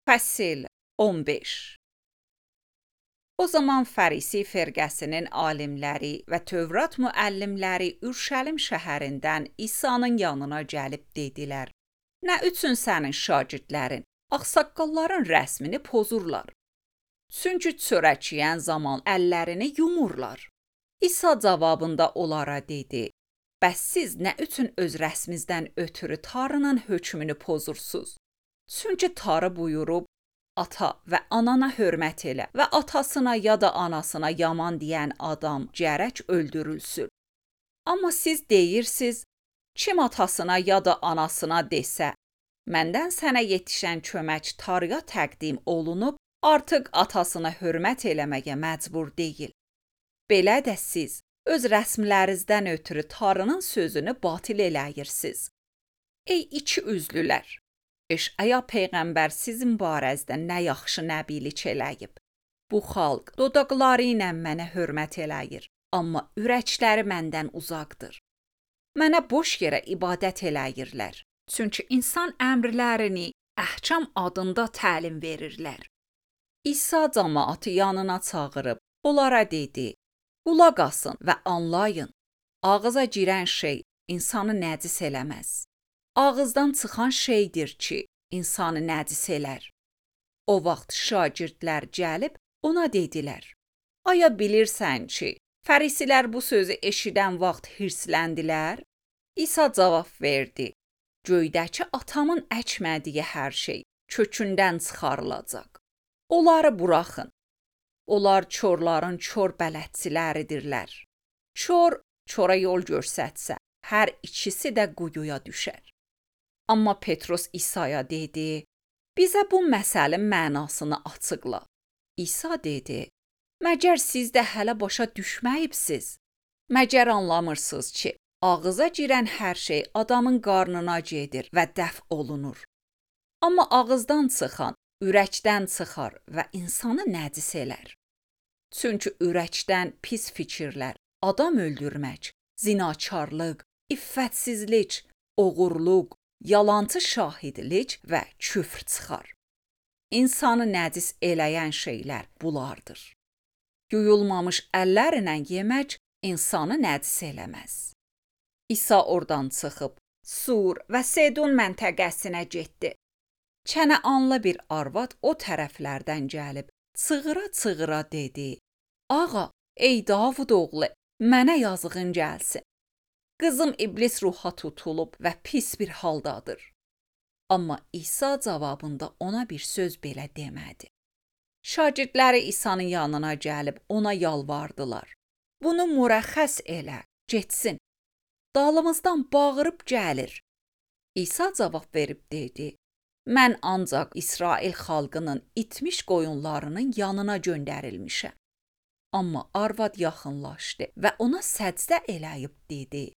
Fəsil 15. O zaman Fərisi firqəsinin alimləri və Tövrat müəllimləri Ürşəlim şəhərindən İsa'nın yanına gəlib dedilər: Nə üçün sənin şagirdlərin ağsaqqalların rəsmini pozurlar? Çünki çörək yeyən zaman əllərini yumurlar. İsa cavabında onlara dedi: Bəs siz nə üçün öz rəsminizdən ötürü Tanrının hökmünü pozursunuz? Çünki Tanrı buyurub: Ata və anana hörmət elə və atasına ya da anasına yaman deyən adam gərək öldürülsün. Amma siz deyirsiniz, kim atasına ya da anasına desə, məndən sənə yetişən kömək Tanrıya təqdim olunub, artıq atasına hörmət eləməyə məcbur deyil. Belə də siz öz rəsmlərinizdən ötürü Tanrının sözünü batil eləyirsiniz. Ey iki üzlülər! Eşaya peyğəmbər sizin barəzdə nə yaxşı nəbilik eləyib. Bu xalq dodaqları ilə mənə hörmət eləyir, amma ürəkləri məndən uzaqdır. Mənə boş yerə ibadət eləyirlər, çünki insan əmrlərini əhkam adında təlim verirlər. İsa cəmaatı yanına çağırıb, onlara dedi: Qulaq asın və anlayın, ağıza girən şey insanı nəcis eləməz. Ağızdan çıxan şeydir ki, insanı nəcis elər. O vaxt şagirdlər gəlib ona dedilər: Aya bilirsən ki, fərisilər bu sözü eşidən vaxt hirsləndilər? İsa cavab verdi: Göydəki atamın əkmədiyi hər şey kökündən çıxarılacaq. Onları buraxın. Onlar çorların çor bələdçiləridirlər. Çora yol göstərsə, hər ikisi də quyuya düşər. Amma Petrus İsa'ya dedi: Bizə bu məsələnin mənasını açıqla. İsa dedi: Məgər siz də hələ başa düşməyibsiz? Məgər anlamırsınız ki, ağıza girən hər şey adamın qarnına gedir və dəf olunur. Amma ağızdan çıxan ürəkdən çıxar və insanı nəcis elər. Çünki ürəkdən pis fikirlər, adam öldürmək, zinakarlıq, iffətsizlik, oğurluq, yalancı şahidlik və küfr çıxar. İnsanı nəcis eləyən şeylər bunlardır. Yuyulmamış əllərlə yemək insanı nəcis eləməz. İsa oradan çıxıb Sur və Sedon məntəqəsinə getdi. Kənəanlı bir arvad o tərəflərdən gəlib çığıra-çığıra dedi: Ağa, ey Davud oğlu, mənə yazığın gəlsin. Qızım iblis ruha tutulub və pis bir haldadır. Amma İsa cavabında ona bir söz belə demədi. Şagirdləri İsa'nın yanına gəlib ona yalvardılar: Bunu mürəxxəs elə, getsin. Dalımızdan bağırıb gəlir. İsa cavab verib dedi: Mən ancaq İsrail xalqının itmiş qoyunlarının yanına göndərilmişəm. Amma arvad yaxınlaşdı və ona səcdə eləyib dedi: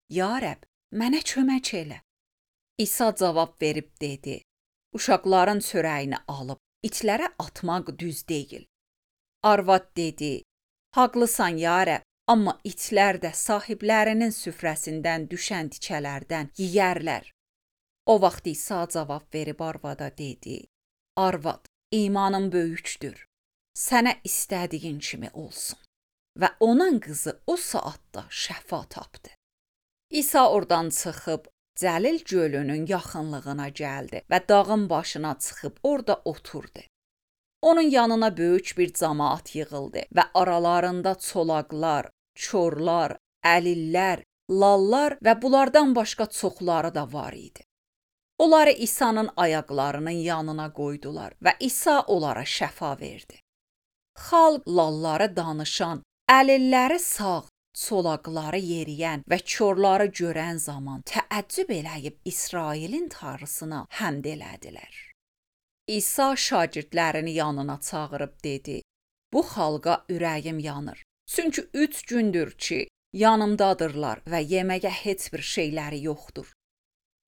Ya Rəbb, mənə kömək elə. İsa cavab verib dedi: Uşaqların çörəyini alıb itlərə atmaq düz deyil. Arvad dedi: Haqlısan ya Rəbb, amma itlər də sahiblərinin süfrəsindən düşən tikələrdən yeyərlər. O vaxt İsa cavab verib arvada dedi: Arvad, imanın böyükdür. Sənə istədiyin kimi olsun. Və onun qızı o saatda şəfa tapdı. İsa oradan çıxıb Cəlil gölünün yaxınlığına gəldi və dağın başına çıxıb orada oturdu. Onun yanına böyük bir camaat yığıldı və aralarında çolaqlar, çorlar, əlillər, lallar və bunlardan başqa çoxları da var idi. Onları İsa'nın ayaqlarının yanına qoydular və İsa onlara şəfa verdi. Xalq lalları danışan, əlilləri sağ, çolaqları yeriyən və körləri görən zaman təəccüb eləyib İsrailin Tanrısına həmd elədilər. İsa şagirdlərini yanına çağırıb dedi: Bu xalqa ürəyim yanır. Çünki 3 gündür ki, yanımdadırlar və yeməyə heç bir şeyləri yoxdur.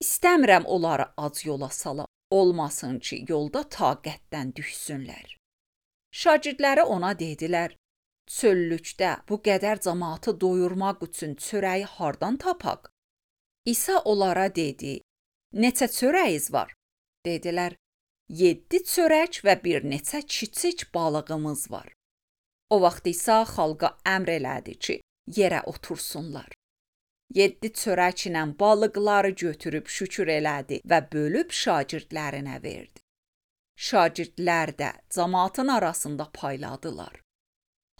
İstəmirəm onları ac yola salam, olmasın ki, yolda taqətdən düşsünlər. Şagirdləri ona dedilər: Çöllükdə bu qədər cəmaatı doyurmaq üçün çörəyi hardan tapaq? İsa onlara dedi: Neçə çörəyiz var? Dedilər: 7 çörək və bir neçə kiçik balığımız var. O vaxt İsa xalqa əmr elədi ki, yerə otursunlar. 7 çörəklə balıqları götürüb şükür elədi və bölüb şagirdlərinə verdi. Şagirdlər də cəmaatın arasında payladılar.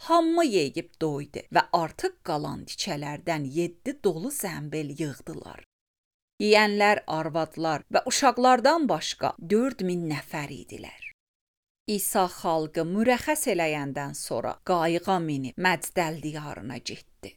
Hamı yeyib doydu və artıq qalan tikələrdən 7 dolu zəmbil yığdılar. Yeyənlər arvadlar və uşaqlardan başqa 4000 nəfər idilər. İsa xalqı mürəxxəs eləyəndən sonra qayığa minib Məcdəl diyarına getdi.